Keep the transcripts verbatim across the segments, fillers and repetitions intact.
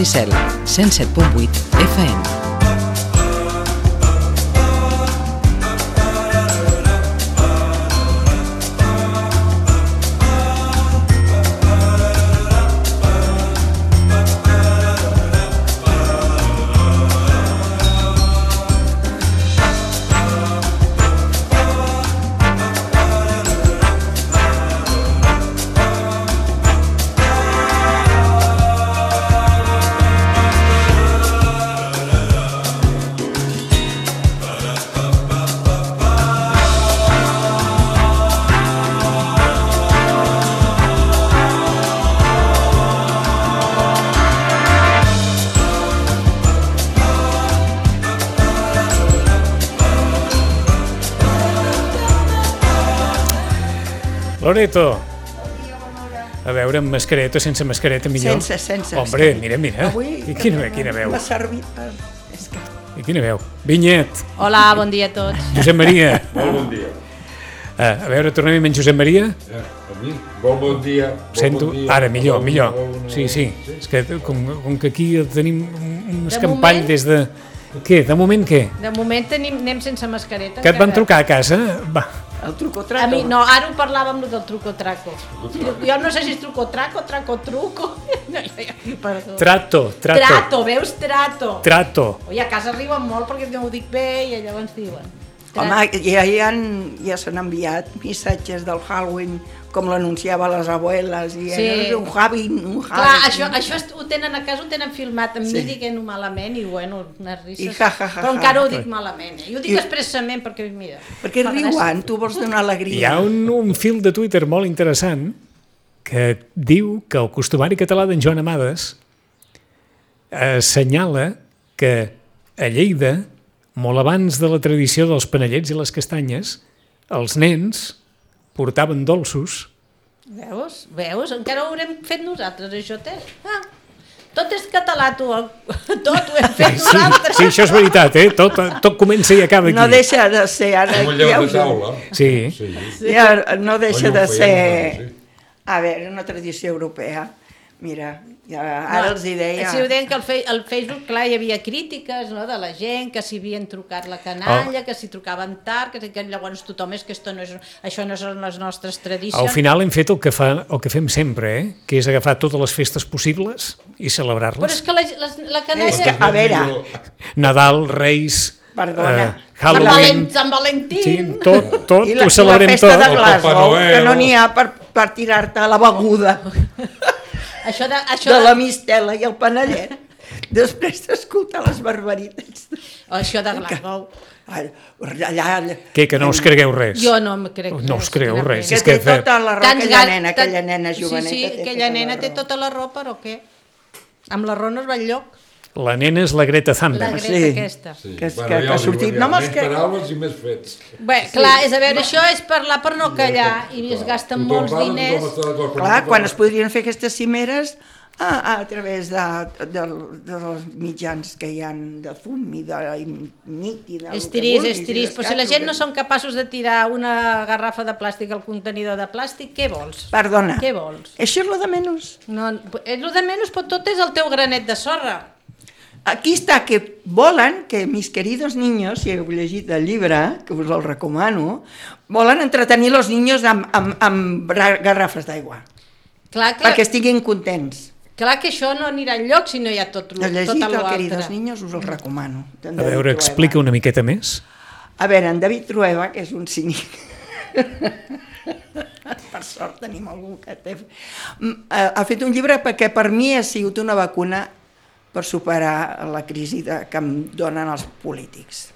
Maricel, cent set punt vuit F M. Loreto, a veure, amb mascareta o sense mascareta millor? Sense, sense. Hombre, mira, mira. Avui, I quina, quina veu. M'ha servit... És que... I quina veu. Vinyet. Hola, bon dia a tots. Josep Maria. Molt bon dia. A, a veure, tornem amb en Josep Maria. Ja, a mi? Molt bon dia. Molt Sento, bon dia. ara, millor, Bona, millor. bona, Sí, sí. sí. És que com, com que aquí tenim un De escampall moment- des de... Què? De moment què? De moment tenim, anem sense mascareta. Que et van encara. trucar a casa? Va. El truco A traco. mi, no, ara ho parlàvem del truco-traco. Jo no sé si és truco-traco, traco-truco. No, perdó. Trato, trato. Trato, veus? Trato. Trato. Oi, a casa riuen molt perquè no ho dic bé i llavors diuen. Tra- Home, ja, ja, han, ja s'han enviat missatges del Halloween, com l'anunciava les abueles, i Sí. sí. un Halloween, un Clar, Halloween. això, això est- ho tenen a casa, ho tenen filmat, amb Sí. mi dient-ho malament i bueno, unes risses. I ja, ja, ja, Però ja. encara ho dic malament. Eh? I ho dic I- expressament perquè, mira... Perquè fa riuen, gràcia. tu vols donar Hi alegria. ha un, un fil de Twitter molt interessant que diu que el costumari català d'en Joan Amades assenyala que a Lleida, molt abans de la tradició dels panellets i les castanyes, els nens portaven dolços. Veus? Veus? Encara ho haurem fet nosaltres, això, té. Ah, tot és català, tu. Tot ho hem fet Sí, nosaltres. sí, això és veritat, eh? Tot, tot comença i acaba aquí. No deixa de ser... Ara, Com un llevat ja, de us- taula. Sí. Sí. ja no deixa Oi, ho de feien, ser... sí. A veure, una tradició europea. Mira, ja, ara No, els hi deia... Si ho deien que al, fe, al Facebook, clar, hi havia crítiques, no?, de la gent, que si havien trucat la canalla, Oh. que si trucaven tard, que, que llavors tothom és que esto no és, això no són les nostres tradicions. Al final hem fet el que, fa, el que fem sempre, eh? Que és agafar totes les festes possibles i Però celebrar-les. és que la, la, la canalla... És que, a veure, Nadal, Reis, Perdona. eh, Halloween... Valent, Sant Valentín... Sí, tot, tot, i la, ho celebrem i la festa tot. de El Papa Glasgow, Noel. que no n'hi ha per, per tirar-te la beguda Això de, això de de, la mistela i el panellet, després d'escoltar les barbaritats. això de Glasgow. Allà, allà, Què, que no us cregueu res? Jo no em crec No us creeu res. que és que té fe- tota la raó, Tants aquella gat- nena, tant- aquella nena joveneta. Sí, sí, té aquella tota nena la té raó. tota la raó, però què? Amb la raó no es va enlloc. La nena és la Greta La Thunberg. Greta Sí. aquesta. Sí. Que és- Bueno, que- ja que ha us dic, sortit. ja, No me'ls menys crec. paraules i més fets. Bé, clar, és a veure, això és parlar per no callar i es gasten Tothom molts parla, diners. tothom està d'acord, però Clar, tothom- quan es podrien fer aquestes cimeres a, a través de, de, dels mitjans que hi ha de fum i de i nit i de... És trist, és trist, però si la gent no són capaços de tirar una garrafa de plàstic al contenidor de plàstic, què vols? Perdona, Què vols? això és lo de menys. No, és el de menys, però tot és el teu granet de sorra. Aquí està, que volen que mis queridos niños, si heu llegit el llibre, que us el recomano, volen entretenir els niños amb, amb, amb bra- garrafes d'aigua, Clar, clar, perquè estiguin contents. clar que això no anirà enlloc si no hi ha tot, Heu llegit tota el l'altre. queridos niños, us el recomano. A veure, explica una miqueta més. A veure, en David Trueba, que és un cínic, per sort tenim algú que té... Mm, eh, Ha fet un llibre perquè per mi ha sigut una vacuna per superar la crisi de, que em donen els polítics.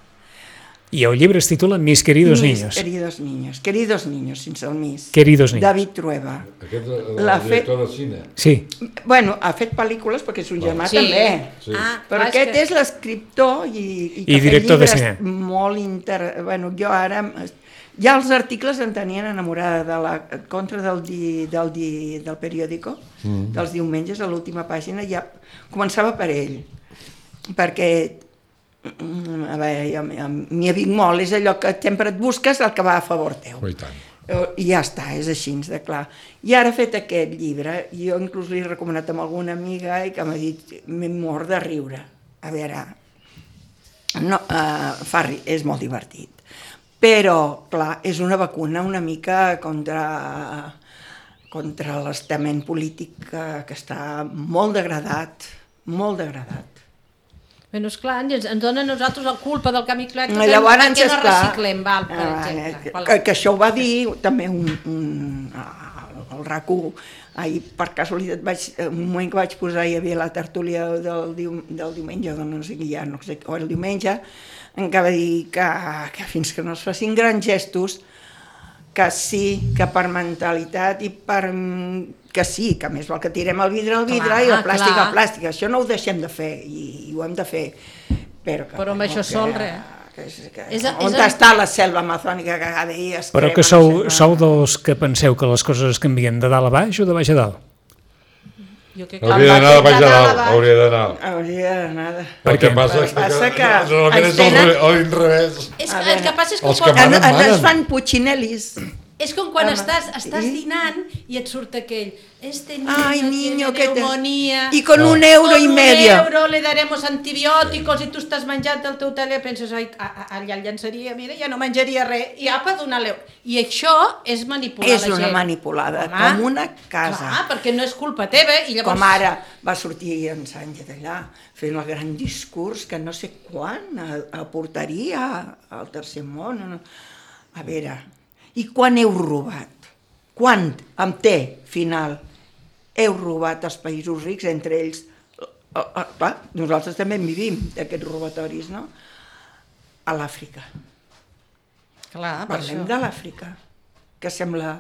I el llibre es titula Mis queridos Mis niños. queridos niños, queridos niños, sense el mis. Queridos niños. David Trueba. Aquest és el L'ha director de cine. Sí. Bueno, ha fet pel·lícules perquè és un germà Sí. també. Sí. Ah, Però clar, aquest que... és l'escriptor i, i, que I fa director de llibres cine. molt inter... Bueno, jo ara... Ja els articles em tenien enamorada de la contra del, di, del, di, del periòdico, mm. dels diumenges, a l'última pàgina, ja començava per ell, perquè a veure, jo, jo, m'hi avic molt, és allò que sempre et busques el que va a favor teu. Oh, i tant. I ja està, és així, de clar. I ara ha fet aquest llibre, jo inclús l'he recomanat amb alguna amiga i que m'ha dit, m'he mort de riure. A veure, no, uh, fa ri, és molt divertit. Però, clar, és una vacuna una mica contra, contra l'estament polític que, que està molt degradat, molt degradat. Bueno, esclar, ens, ens dona a nosaltres la culpa del canvi climàtic Llavors, perquè no esclar, reciclem, val, per ah, exemple. Que, que, que això ho va dir també un, un, el RAC u. Ahir, per casualitat, vaig, un moment que vaig posar, hi havia la tertúlia del, dium, del diumenge, no sé què ja, no sé, o el diumenge, en què va dir que, que fins que no es facin grans gestos, que sí, que per mentalitat i per... que sí, que més val que tirem el vidre al vidre clar, i el plàstic clar. al plàstic. Això no ho deixem de fer i, i ho hem de fer. Però, que, però amb això sol, res. Que, que, que, és, on és està el... la selva amazònica que cada dia es Però crema, que sou, no sé, sou dels que penseu que les coses es canvien de dalt a baix o de baix a dalt? Jo que hauria d'anar de baix a dalt, hauria d'anar. Hauria d'anar de... El que passa és que, passa que normalment és tenen... al revés. És que, el que passa és que Els quan... que manen, En, manen. ens fan puccinelis. És com quan Home, estàs, estàs i- dinant i et surt aquell este niño Ay, niño, tiene que te... neumonía Y con un euro con y medio. un euro le daremos antibiòticos i tu estàs menjant el teu tele i penses, ai, a- a- allà el llançaria, mira, ja no menjaria res, i apa, donar-li... I això és manipular És la gent. una manipulada, Home, com una casa. Clar, perquè no és culpa teva i llavors... Com ara va sortir en Sánchez allà fent el gran discurs que no sé quan aportaria al tercer món. No? A veure, i quan heu robat? Quan, amb T final, heu robat els països rics, entre ells, eh, eh, clar, nosaltres també en vivim d'aquests robatoris, no? A l'Àfrica. Clar, per Parlem això. de l'Àfrica, que sembla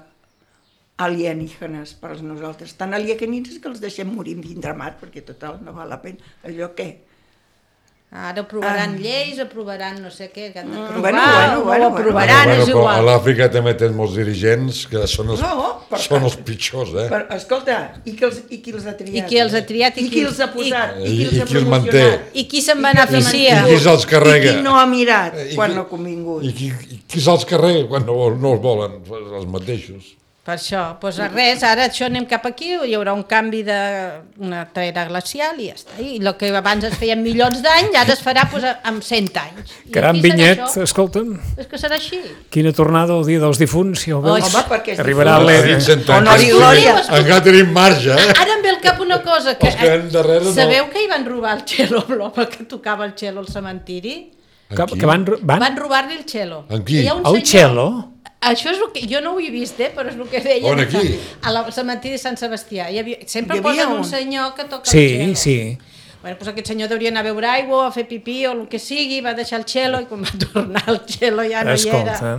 alienígenes per als nosaltres. Tan alienígenes que els deixem morir en vindramat, perquè total no val la pena. Allò què? Ara aprovaran Ah. lleis, aprovaran no sé què, que han d'aprovar, Bueno, bueno, o bueno, ho aprovaran, Bueno, és però igual. a l'Àfrica també tens molts dirigents que són els, No, per són tant. els pitjors, eh? Per, escolta, i qui, els, i qui els ha triat? I qui els ha triat i I qui qui- els ha posat? i- I, qui els i ha qui els manté? promocionat? I qui se'n I qui els ha beneficia? I qui se'ls carrega? I qui no ha mirat I quan qui- no ha convingut? I qui, i qui se'ls carrega quan no, no els volen, els mateixos? Per això, doncs res, ara això anem cap aquí, hi haurà un canvi d'una era glacial i ja està. I el que abans es feien milions d'anys, ara es farà doncs, amb cent anys. I Caram, aquí serà Vinyet, això. escolta'm, És que serà així. quina tornada el dia dels difunts, ja ho veus? Home, perquè és Arribarà difunt. l'era. cent Honor i anys, glòria. encara tenim marge, eh? Ara em ve al cap una cosa, que, Els que ven darrere no. sabeu que hi van robar el cello, l'home que tocava el cello al cementiri? Que, que van, van? Van robar-li el cello. En qui? Hi ha un El senyor- cello? Això és el que... Jo no ho he vist, eh, però és el que deien. On, aquí? A la cementiri de Sant Sebastià. Hi havia, sempre Hi havia posen un un. senyor que toca Sí, el cello. sí. Bueno, doncs aquest senyor hauria anar a beure aigua, a fer pipí o el que sigui, va deixar el cello i quan va tornar el cello ja no Escolta. hi era.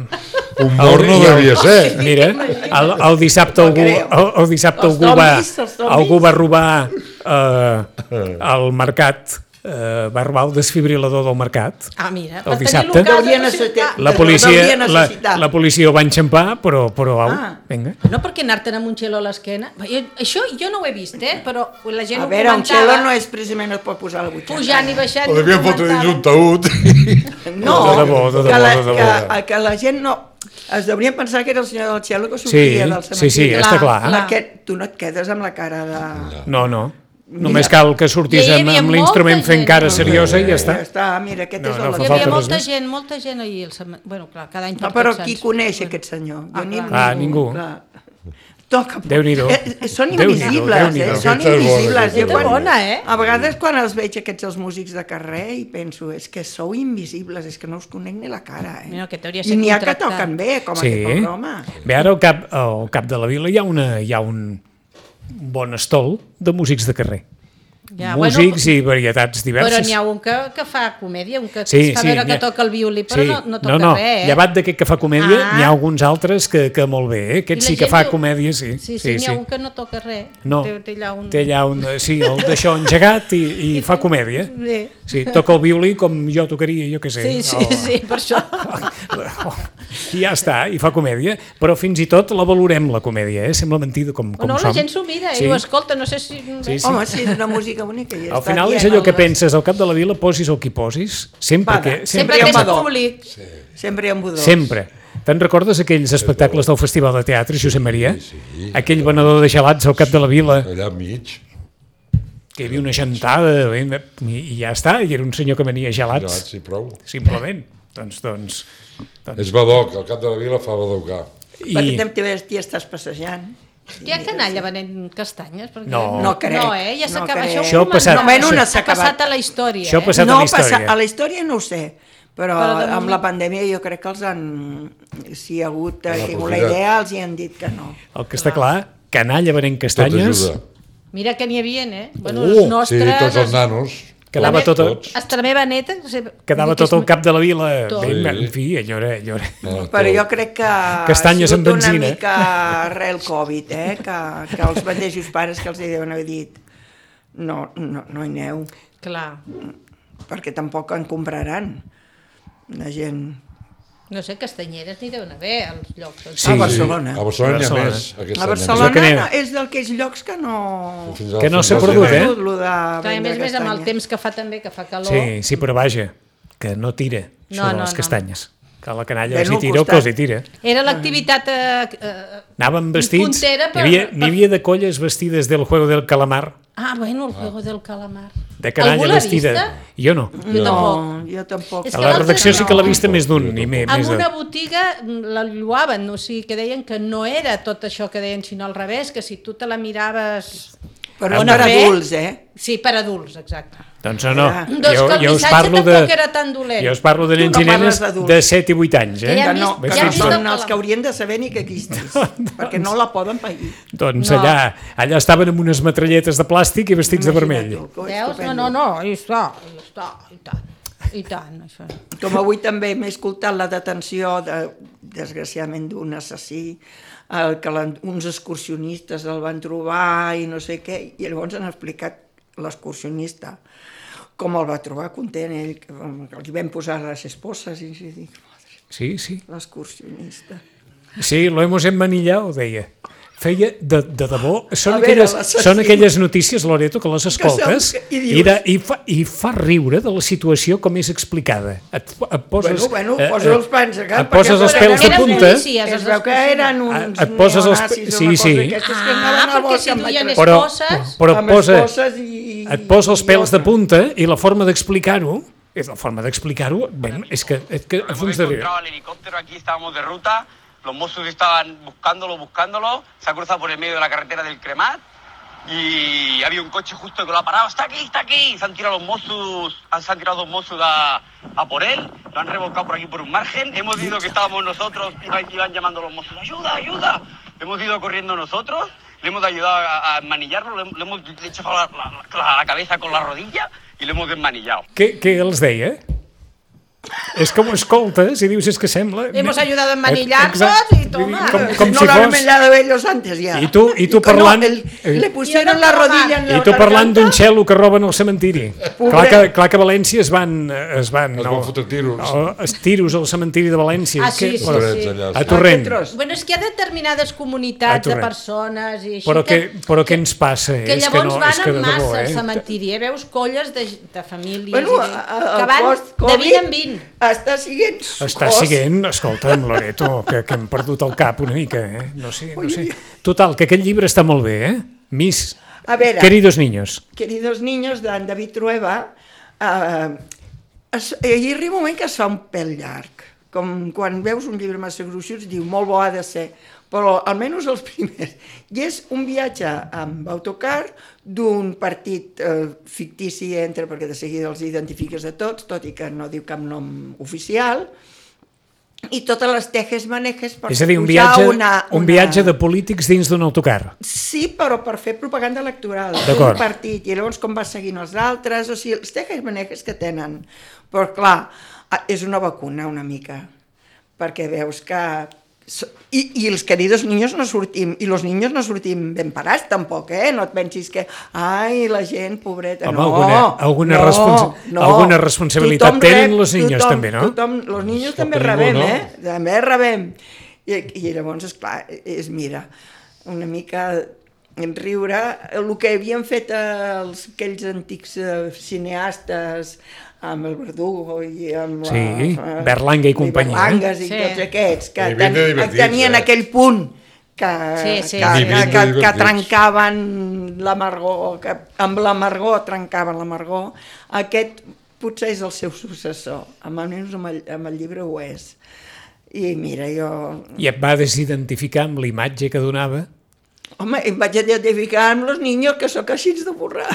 Un mort no El- devia ser. Mira, el, el dissabte algú, creu. el, el dissabte Els algú va, zombis, els zombis. algú va robar eh, al mercat, eh, va robar el desfibrilador del mercat. Ah, mira, El per dissabte. tenir-lo a casa, Hauria no sé necessitat- què. La El policia, hauria la, necessitat. la policia ho va enxampar, però, però au, Ah. vinga. No perquè anar-te'n amb un cello a l'esquena. Jo, això jo no ho he vist, eh? Però la gent A ho veure, un comentava. cello no és precisament es pot posar a la butxaca. Pujant i baixant. O i ho devien fotre dins un comentava. taüt. No, De debò, de que, debò, la, de debò. que, que la gent no... Es deurien pensar que era el senyor del cello que Sí, sortia del sí, sí, cementiri. està clar. Perquè tu no et quedes amb la cara de... No, no. Només cal que sortís I hi amb, havia amb molta l'instrument fent gent. cara seriosa i ja està. Ja està, mira, aquest No, és no el... fa Hi de- falta havia res molta més. gent, molta gent ahir. al cement- Bueno, clar, cada any per No, però Tots qui Sants. coneix aquest senyor? Jo Ah, ni, clar. Ah, ningú. Clar. Toca. Déu-n'hi-do. Eh, eh, són Déu-n'hi-do, invisibles, Déu-n'hi-do. eh? Són Aquesta és bona, invisibles. aquesta Jo és quan, bona, eh? A vegades quan els veig aquests els músics de carrer i penso, és que sou invisibles, és que no us conec ni la cara, eh? Mira, que t'hauria I ser n'hi ha que contractat. toquen bé, com Sí. aquest pobre home. Bé, ara al cap, al cap de la vila hi ha, una, hi ha un bon estol de músics de carrer. Ja, Músics bueno, i varietats però diverses. n'hi ha un que, que fa comèdia, un que Sí, fa sí, veure n'hi que ha- toca el violí, però Sí. no, no toca no, no. res, eh? Llevat d'aquest que fa comèdia, Ah. n'hi ha alguns altres que, que molt bé, eh? I Aquest la sí que gent fa diu- comèdia, sí. Sí, sí, n'hi ha un que no toca res. No, Té, té allà un... té allà un... Sí, el d'això engegat i, i fa comèdia. Sí, Sí, toca el violí com jo tocaria, jo què sé. sí, sí, o- sí, per això. I ja està, i fa comèdia, però fins i tot la valorem, la comèdia, eh? Sembla mentida com, com no, som. la gent s'ho mira i Sí. ho escolta, no sé si... Sí, sí. Home, sí, és una música bonica. I Al està final és dient allò que les- penses, al cap de la vila posis el qui posis, sempre Paga. que... Sempre hi ha que és un badó. públic. Sempre hi ha un budó. Sempre. Te'n recordes aquells espectacles del Festival de Teatre, Josep Maria? Sí, sí. Aquell venedor de gelats al cap de la vila, Allà enmig. que hi havia una gentada, i, i ja està, i era un senyor que venia gelats, Gelats, sí, prou. simplement. Doncs, doncs, doncs... És badoc, al cap de la vila fa badocar. Perquè I... també t'hi estàs passejant. Hi ha canalla venent castanyes? Perquè No. No crec. No, eh? Ja No s'acaba. crec. Això, Això ha passat- no, Almenys una ha s'ha acabat. passat a la història. Això ha eh? passat no a la història. passa, a la història no ho sé, però, Però de amb moment- la pandèmia jo crec que els han, si hi ha hagut, Han ha tingut la aprofitat. idea, els hi han dit que no. El que està clar, canalla venent Tot castanyes, ajuda. Mira que n'hi havia, eh? Bueno, Oh, els Sí, nostres... tots els nanos. quedava tots, tot, tots. Hasta la meva neta... O sigui, quedava vull dir que tot el és- cap de la vila. Tot. Ben, Sí. en fi, allò era... Allò era... No, Però tot. jo crec que Castanyes ha amb sigut benzina. una mica arrel Covid, eh? que, que els mateixos pares que els hi deuen haver dit no, no, no hi aneu, Clar. perquè tampoc en compraran. La gent... No sé, castanyeres n'hi deuen haver als llocs. Sí. a Barcelona. A Barcelona n'hi ha Barcelona. més. Aquest A any. Barcelona que n'hi ha. no, és d'aquells llocs que no... Fins al- Que no fins s'ha al perdut, gener. eh? Lo de Clar, a vendre més, a més, amb el castanyes. temps que fa també, que fa calor... Sí, sí, però vaja, que no tira, això No, de no, les no. castanyes. Que la canalla Ben si al tira o que costat. els hi tira. Era l'activitat... Eh, eh, Anaven vestits, puntera per- n'hi havia, per- n'hi havia de colles vestides del juego del calamar, Ah, bueno, el juego del calamar. de canalla Algú l'ha vestida. vista? Jo no. Jo No, tampoc. jo tampoc. És A que la l'altre redacció sí que l'ha no. vista més d'un, i més, En més de... una botiga la lloaven, o sigui, que deien que no era tot això que deien, sinó al revés, que si tu te la miraves... Però Amb per una adults, eh? Sí, per adults, exacte. Doncs no, no. Ah. Doncs Jo, que el jo us missatge parlo de... tampoc era tan dolent. Jo us parlo de Tu nens no i nenes parles d'adults. de set i vuit anys, eh? Que ja Que hem no, vist- que ja no hem vist són el- els que haurien de saber ni que existís, perquè no la poden pair. Doncs No. allà, allà estaven amb unes metralletes de plàstic i vestits de vermell. Imagina't tu, que Veus? No, estupendo. no, no, hi està, hi està, i tant, i tant, això. Com avui també m'he escoltat la detenció, de, desgraciadament, d'un assassí, el que la, uns excursionistes el van trobar i no sé què, i llavors han explicat l'excursionista com el va trobar content, ell, que, que li vam posar les esposes i jo dic, madre, Sí, sí. l'excursionista. Sí, lo hemos emmanillado, deia. Feia de, de debò... Són, A veure, aquelles, l'assassí. són aquelles notícies, Loreto, que les escoltes Que són- i i, dius- de, i, fa, i fa riure de la situació com és explicada. Et, et poses, Bueno, bueno, eh, posa eh, els pans a cap, et poses perquè els eren pèls de eren punta. policies. Es veu que eren uns Et poses els- neonazis o sí, una cosa sí. d'aquestes que anaven Ah, al perquè bosc si amb duien metralletes. Però, esposes, però amb posa, esposes i... et posa els pèls de i- punta i la forma d'explicar-ho, és la forma d'explicar-ho, ben, és que, és que a Hemos fons de riure. encontrado el helicóptero, aquí estábamos de ruta, los Mossos estaban buscándolo, buscándolo, se ha cruzado por el medio de la carretera del Cremat y había un coche justo que lo ha parado, está aquí, está aquí, se han tirado los Mossos, se han tirado dos Mossos a, a por él, lo han revolcado por aquí por un margen, hemos ido que estábamos nosotros, iban, iban llamando los Mossos, ayuda, ayuda, hemos ido corriendo nosotros, le hemos ayudado a, a manillarlo, le, le hemos hecho la, la, la, la cabeza con la rodilla y le hemos desmanillado. Què, què els deia? És que ho escoltes i dius, és que sembla... Hemos ayudado a Eh, emmanillar-los exacte. y toma. Com, com no si lo han fos... mellado ellos antes ya. I tu- i tu que parlant- No, el, le pusieron I la no rodilla en la I tu parlant garganta. d'un xelo que roben al cementiri. Pobre. Clar que, clar que a València es van... Es van, Es van fotre tiros. No, es tiros al cementiri de València. Ah, És que, sí, sí, bueno, Torrents sí. allà, A sí. Torrent. Aquest tros. Bueno, és que hi ha determinades A comunitats de Torrent. persones i així Però, que, però què que, ens passa? que és llavors que no, van és que de en massa debò, al eh? cementiri, eh? Veus colles de, de famílies Bueno, i de, a- a- que el van de post-Covid vint en vint. està siguent Està cos. siguent, escolta'm, Loreto, que, que hem perdut el cap una mica, eh? No sé, no sé. Total, que aquest llibre està molt bé, eh? Miss, A veure, queridos niños. Queridos niños, d'en David Trueba, eh, es, hi arriba un moment que es fa un pèl llarg. Com quan veus un llibre massa gruixut, diu, molt bo ha de ser, però almenys els primers. I és un viatge amb autocar d'un partit eh, fictici entre, perquè de seguida els identifiques a tots, tot i que no diu cap nom oficial, i totes les tejes manejes per És a dir, un pujar viatge, una, una... un viatge de polítics dins d'un autocar. Sí, però per fer propaganda electoral D'acord. d'un partit, i llavors com va seguint els altres, o sigui, els tejes manejes que tenen. Però clar, és una vacuna una mica, perquè veus que... I, i els queridos niños no sortim, i los niños no sortim ben parats tampoc, eh? No et pensis que, ai, la gent, pobreta, Home, no, alguna- alguna no, responsa- no. alguna responsabilitat Tothom tenen los niños tothom, també, no? Tothom, los niños Cap també ningú, rebem, no? eh? També rebem. I, i llavors, esclar, és, mira, una mica riure el que havien fet els, aquells antics eh, cineastes amb el Verdugo i amb la, Sí, eh, Berlanga i companyia. Berlangues i Sí. tots aquests, que I havien de ten, divertir-se, tenien eh? aquell punt que, Sí, sí, que, sí. que, que, que trencaven l'amargor, que amb l'amargor trencaven l'amargor. Aquest potser és el seu successor, almenys amb el, amb el llibre ho és. I mira, jo... I et va desidentificar amb la imatge que donava. Home, em vaig identificar amb los niños, que sóc així de borrar.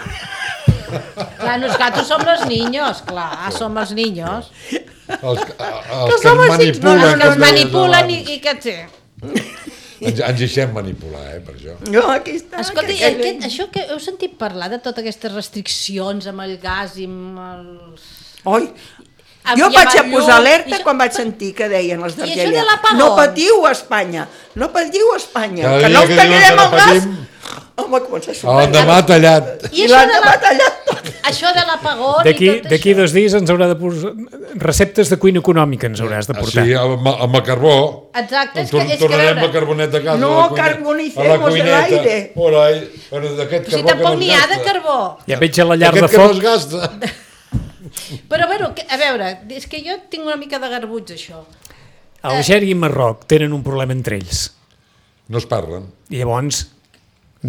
Clar, nosotros som los niños, clar, som els niños. Els, els Que que som ens així, No, manipulen. els que com es deies manipulen i, abans. i que... Sí. Ens, ens deixem manipular, eh, per això. No, aquí està. Escolta, que- i que- aquest, això que heu sentit parlar de totes aquestes restriccions amb el gas i amb els... Oi, Amb- jo i vaig amb a el posar llum, alerta i això- quan vaig sentir que deien els I això de d'Argèlia. l'apagón? No patiu a Espanya, no patiu a Espanya, Cada que dia no us que diuen tallarem que el no gas. patim, Home, comença a a sonar. l'endemà tallat. I I això de l'endemà la- tallat tot. això de l'apagón i D'aquí tot d'aquí això. dos dies ens haurà de posar... Receptes de cuina econòmica ens hauràs de portar. Sí, amb, amb el carbó. Exacte, és que, Tor- és que Tornarem veure, a carbonet a casa. No, a la cuina- carbonicemos a la el cuineta. aire. Por ahí. Bueno, d'aquest si carbó tampoc que no n'hi es ha de gasta. carbó. Ja veig a la llar de Aquest que no foc... es gasta. Però, bueno, que, a veure, és que jo tinc una mica de garbuig, això. Algèria i Marroc tenen un problema entre ells. No es parlen. I llavors,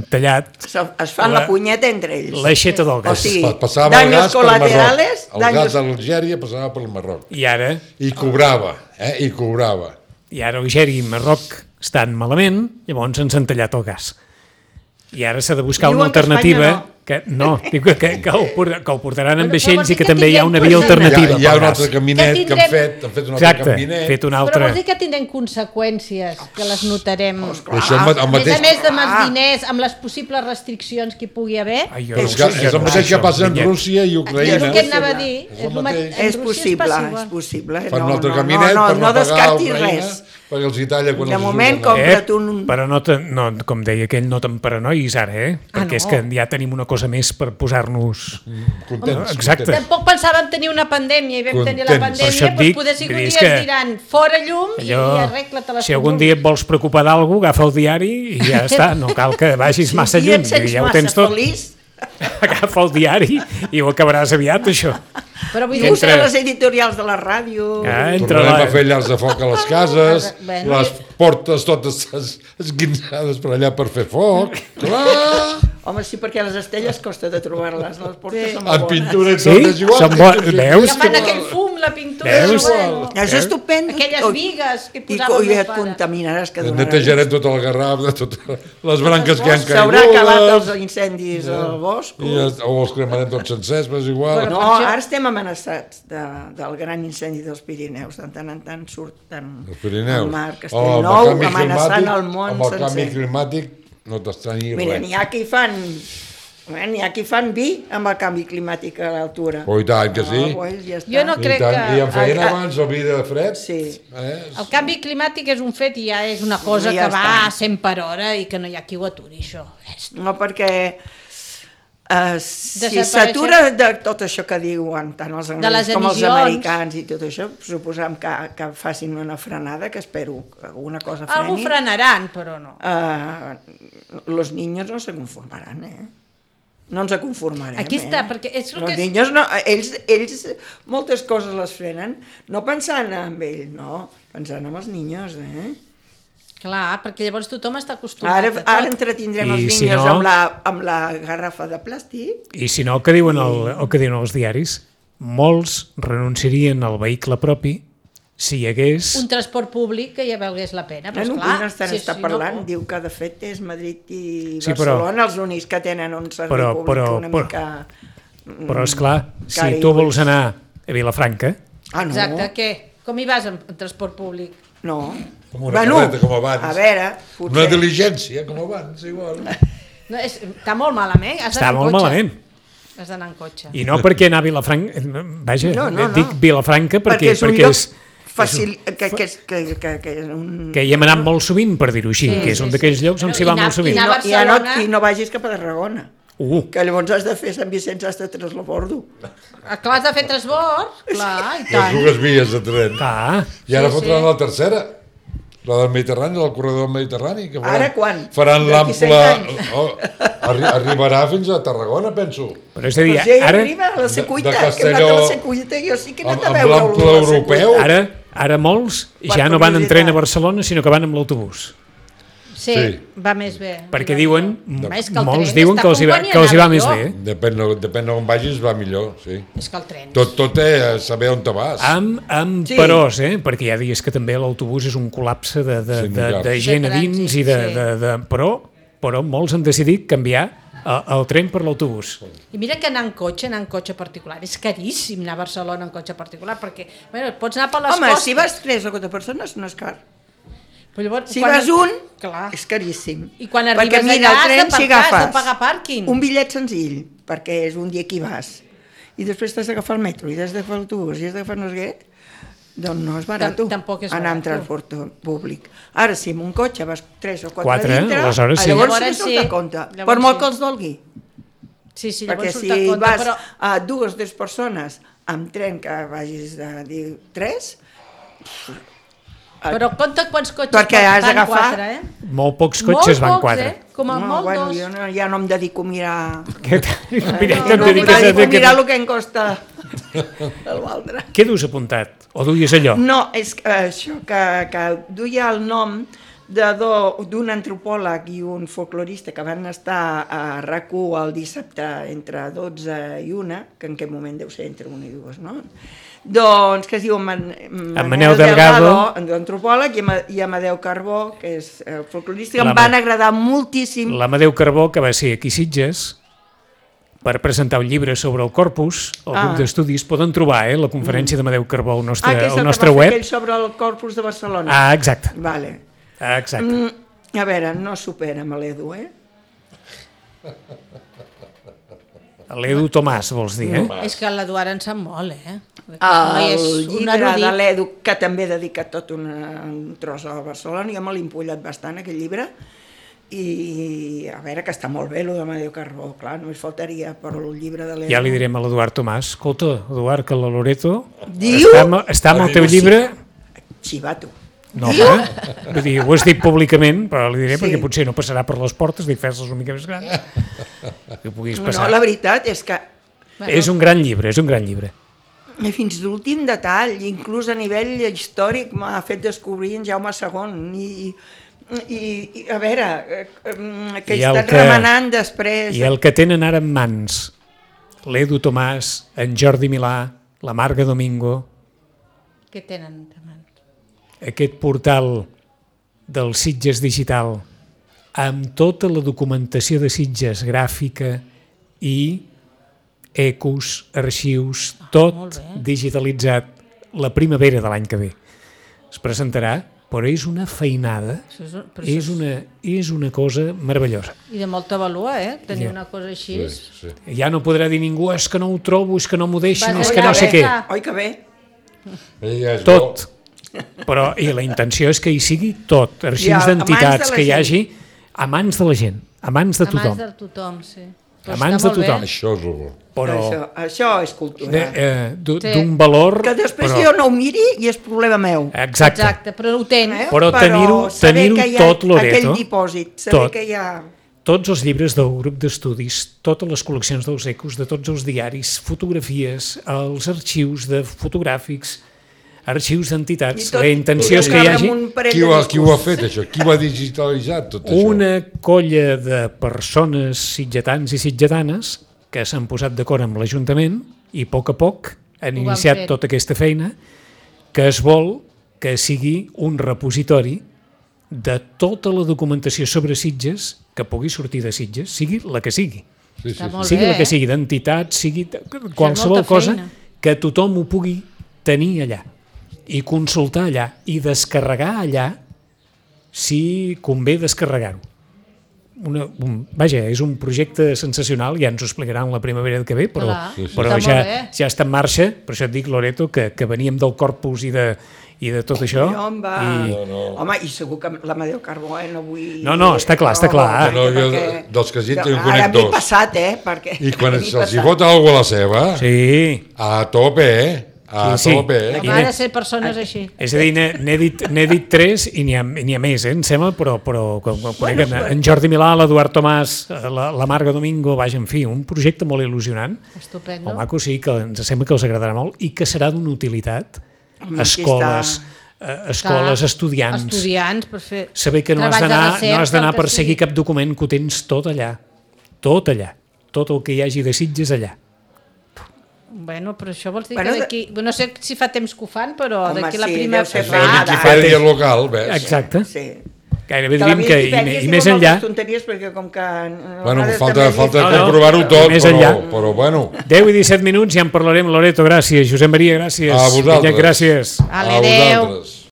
tallat, Se- Es fan La- la punyeta entre ells. l'aixeta del O gas. sigui, Pa- Passava el daños gas per Marroc. colaterales, El daños- gas d'Algèria passava per Marroc. I ara, I cobrava, eh? I cobrava. i ara Algèria i Marroc estan malament, llavors ens han tallat el gas. I ara s'ha de buscar Diuen una que Espanya alternativa... no. Que, no, dic que, que, que, ho, por- que ho portaran amb Però vaixells vols i dir que que també hi ha tindrem una via coses? Hi ha, alternativa hi ha pel un gas. altre caminet Que que, tindrem- han fet, han fet un altre Exacte, caminet. fet un Però altre... vols dir que tindrem conseqüències, que les notarem. I això amb, amb A més mateix... a més de amb els Ah. diners, amb les possibles restriccions que hi pugui haver, Ai, jo És, no que, sé, és jo el no mateix sé que això, passa en Vinyet. Rússia i és Ucraïna. el que anava a dir. És el el ma- mateix. en És Rússia possible, passiva. és possible. Fan un No, altre no, caminet no, per no, no, no pagar a descartis Ucraïna, res. perquè els hi talla quan De els moment, surt com- la- Eh, compra't un- però no, te, no, com deia aquell, no te'n paranois ara, eh? Ah, Perquè és no. que ja tenim una cosa més per posar-nos... Contents, Exacte. contents. Tampoc pensàvem tenir una pandèmia i vam tenir la Contents. Per això pandèmia, et doncs dic, poder si vull un dir, dia és ens que diran fora llum i, Allò, i arregla-te les si algun dia et vols preocupar d'algú, agafa el diari i ja està, no cal que vagis massa Si lluny, et sents ja ho massa tens tot. feliç, Agafa el diari i ho acabaràs aviat, això. Però vull i dir, usa Entre- les editorials de la ràdio. Ah, entre Tornarem la... a fer llars de foc a les cases, Bueno, les portes totes es- esguinçades per allà per fer foc. Clar! Home, sí, perquè les estelles costa de trobar-les, les portes Sí. són molt En bones. pintura i Sí? tot és igual. Són bo- veus? que fan aquell fum, la pintura, Veus? bueno, És estupendo. aquelles Oi, vigues que I, posava co- el i meu et pare. contaminaràs que donaràs. Netejarem tot el garraf de totes les branques que han S'haurà acabat els caigut. incendis al bosc. I ja- o els cremarem tots sencers, però és igual. No, per això- ara estem amenaçats de, del gran incendi dels Pirineus. De tant en tant surten Els Pirineus. al mar Oh, amb el Castellnou, canvi amenaçant climàtic- el món Amb el canvi sencer. climàtic no t'estranyi Mira, res. n'hi ha qui fan... eh, N'hi ha qui fan vi amb el canvi climàtic a l'altura. Oh, i tant que sí. Ah, pues ja està. Jo no I, crec tant, que- I en feien Ah, ah. abans el vi de fred. Sí. Eh? El canvi climàtic és un fet i ja és una cosa Ja que va està. a cent per hora i que no hi ha qui ho aturi, això. És- No, perquè eh, si Desapareixer- s'atura de tot això que diuen tant els les anglesos com els emissions. americans i tot això, suposam que, que facin una frenada, que espero que alguna cosa freni. Algú frenaran, però no. Eh, los niños no se conformaran, eh? No ens conformarem, Aquí està, eh? perquè és el Los que és- niños no, ells, ells moltes coses les frenen, no pensant en ell, no, pensant en els niños, eh? Clar, perquè llavors tothom està acostumat Ara, a tot. ara entretindrem I els si niños no- amb, la, amb la garrafa de plàstic. I si no, el que diuen, el, el que diuen els diaris, molts renunciarien al vehicle propi si hi hagués... Un transport públic que ja valgués la pena, però Bueno, esclar... Queen estan, si- està si parlant, no, diu que de fet és Madrid i Sí, però- Barcelona els únics que tenen un servei Però- públic però- una però- mica... Però, esclar, si Cari, tu vols pues. anar a Vilafranca, Ah, no? Exacte, què? Com hi vas en, en transport públic? No. Com una carreta, com abans. A veure, Una potser... diligència, com abans, igual. No, és, està molt malament, has està d'anar en molt cotxe. malament. Has d'anar en cotxe. I no perquè anar a Vilafranca... Vaja, No, no, no. dic Vilafranca perquè, perquè és un perquè lloc és, fàcil, que, que, que, que, que, que és un... que hi hem anat molt sovint, per dir-ho així, Sí, que és sí, un sí. d'aquells llocs on Però s'hi i va anar- molt sovint. I anar no, a i, ja no, Barcelona- I no vagis cap a Tarragona. Uh, Que llavors has de fer Sant Vicenç hasta Treslobordo. Ah, clar, has de fer transbord, clar, i Les tant. dues vies de tren. clar, I ara Sí, fotran sí. la tercera. La del Mediterrani, del corredor del Mediterrani. Que faran, Ara quan? Faran D'aquí cent l'ample... Oh, arri arribarà fins a Tarragona, penso. Però és a dir, Pues ja hi ara, arriba a la Secuita, de que hem Castelló- anat a la Secuita, jo sí que he anat Amb- a amb veure l'ample europeu. ara, ara molts Per ja no van en curiositat. tren a Barcelona, sinó que van amb l'autobús. Sí, Sí. va més bé. Perquè Va diuen, millor. És que el molts tren diuen està que els hi va, convenient que els hi va anar més millor. bé. Depèn, de- depèn d'on vagis, va millor, sí. És que el tren... Tot, tot és saber on te vas. Amb, amb Sí. peròs, eh? Perquè hi ha dies que també l'autobús és un col·lapse de, de, Sí, de, millor. de gent a De dins trànsit, i de, sí. de, de, però, però molts han decidit canviar el, el tren per l'autobús. I mira que anar en cotxe, anar en cotxe particular, és caríssim anar a Barcelona en cotxe particular, perquè bueno, pots anar per les Home, costes. si vas tres o quatre persones no és car. Però llavors, Si quan- vas un, Clar. és caríssim. I quan Perquè arribes mira, allà el tren, has si d'aparcar, has de agafes pagar pàrquing. un bitllet senzill, perquè és un dia que hi vas, i després t'has d'agafar el metro, i has d'agafar l'autobús, i has d'agafar no sé què, doncs no és barat. Tam- tampoc és anar amb barat. transport públic. Ara, si amb un cotxe vas tres o quatre, Quatre, dintre, aleshores sí. llavors, Llavors sí que sí. surt a compte. Llavors Per molt sí. que els dolgui. Sí, sí, Perquè llavors si surt a compte, vas però... a dues o tres persones amb tren que vagis de dir tres, Però compta quants cotxes Perquè has van d'agafar- quatre, eh? Molt pocs cotxes molt van pocs, quatre. Eh? Com a no, molt bueno, dos. jo no, ja no em dedico a mirar... Mira, No, no, no, no, em dediques a dedico a fer mirar que... el que em costa l'altre. Què dus apuntat? O duies allò? No, és que això, que, que duia el nom de do- d'un antropòleg i un folclorista que van estar a RAC u el dissabte entre dotze i una, que en aquest moment deu ser entre una i dues, no? Doncs que es diu Man Manel, Manel Delgado, antropòleg, i, Ama i Amadeu Carbó, que és eh, folclorista, que La em van agradar moltíssim. L'Amadeu Carbó, que va ser aquí a Sitges, per presentar un llibre sobre el corpus, el Ah. grup d'estudis, poden trobar eh, la conferència d'Amadeu Carbó al nostre, Ah, que és al el nostre que va fer web. aquell sobre el corpus de Barcelona. Ah, exacte. Vale. Ah, exacte. Mm, a veure, no supera amb l'Edu, eh? L'Edu Tomàs, vols dir, eh? És que l'Eduard en sap molt, eh? El és un llibre erudit. de l'Edu, que també ha dedicat tot una, un tros a Barcelona, jo me l'he empollat bastant, aquell llibre, i a veure, que està molt bé, el d'Amadeu Carbó, clar, només faltaria, però el llibre de l'Edu... Ja li direm a l'Eduard Tomàs, escolta, Eduard, que la Loreto Diu? està, amb- està amb el teu llibre... Xivato. No, home, vull dir, ho has dit públicament, però li diré Sí. perquè potser no passarà per les portes, dic, fes-les una mica més grans, que puguis No, passar. la veritat és que És un gran llibre, és un gran llibre. i fins l'últim detall, inclús a nivell històric, m'ha fet descobrir en Jaume segon, i, i, i a veure, eh, eh, que he I el estat que- remenant després... I el que tenen ara en mans, l'Edu Tomàs, en Jordi Milà, la Marga Domingo, Què tenen de mans? aquest portal del Sitges Digital, amb tota la documentació de Sitges gràfica i ecos, arxius, molt tot bé. digitalitzat la primavera de l'any que ve. Es presentarà, però és una feinada, Això és, però és això és... una, és una cosa meravellosa. I de molta valua, eh? Tenir Ja. una cosa així. Sí, sí. Ja no podrà dir ningú, és que no ho trobo, és que no m'ho deixen, Va, és oi que que no sé bé. què. Ah. Oi que bé? Ella és Tot. Però, i la intenció és que hi sigui tot, arxius I a- a mans d'entitats, de la que hi gent. hagi a mans de la gent, a mans de A mans tothom. de tothom, sí. Però A està mans de molt bé. tothom. bo. Això és el bo. Però Això, això és cultura. de- eh, d'un Sí. d'un valor... Que després però, jo no ho miri i és problema meu. Exacte. Exacte, però ho tens. Eh? Però tenir-ho- saber tenir-ho que hi ha tot, Loreto. Aquell dipòsit, saber Tot. que hi ha... Tots els llibres del grup d'estudis, totes les col·leccions dels ecos, de tots els diaris, fotografies, els arxius de fotogràfics, arxius I d'entitats. tot- La intenció és tot que hi amb hagi un parell Qui de ho, ha, qui ho ha discos. fet, això? Qui ho ha digitalitzat, tot això? una colla de persones sitgetans i sitgetanes que s'han posat d'acord amb l'Ajuntament i a poc a poc han Ho van iniciat fent. tota aquesta feina que es vol que sigui un repositori de tota la documentació sobre Sitges que pugui sortir de Sitges, sigui la que sigui. Sí, sí, Està sí. molt Sigui bé, la que eh? sigui, d'entitats, sigui de- qualsevol molta cosa, feina. que tothom ho pugui tenir allà i consultar allà i descarregar allà si convé descarregar-ho. Una, un, vaja, és un projecte sensacional, ja ens ho explicaran la primavera que ve, però, Clar, sí, sí. però està ja, molt bé. ja està en marxa, per això et dic, Loreto, que, que veníem del corpus i de, i de tot això. Jo em va... I, No, no. Home, i segur que l'Amadeu Carbó, eh, no vull... No, no, està clar, està clar. No, jo dels que has dit en Ara conec m'he dos. passat, eh, perquè... I quan m'he se'ls hi passat. vota alguna a la seva, sí, a tope, eh? A Sí, sí. tope, eh? I Ha n'he- de ser persones així. És a dir, n'he n'he dit, n'he dit tres i n'hi ha, n'hi ha més, eh, em sembla, però, però com, com conec en, en Jordi Milà, l'Eduard Tomàs, la, la Marga Domingo, vaja, en fi, un projecte molt il·lusionant, Estupendo. molt maco, sí, que ens sembla que els agradarà molt i que serà d'una utilitat. Home, aquí Escoles, està. eh, escoles, Clar, estudiants, Estudiants, per fer... saber que no has treball de d'anar recerca, no has d'anar el que per seguir sigui. cap document, que ho tens tot allà, tot allà, tot el que hi hagi de Sitges allà. Bueno, però això vols dir Bueno, que d'aquí... No sé si fa temps que ho fan, però Home, d'aquí la sí, primera... deu ser És fa- la Ah, Wikipedia local, ves? Exacte. Sí. Gairebé De la diríem que i, Viquipèdia i sí més fa enllà, moltes tonteries perquè com que... a Bueno, vegades falta, també falta No, no, comprovar-ho tot, més però, enllà. però bueno. deu i disset minuts, ja en parlarem, Loreto, gràcies, Josep Maria, gràcies, A vosaltres. Vinyet, gràcies. Ale, A adéu. vosaltres.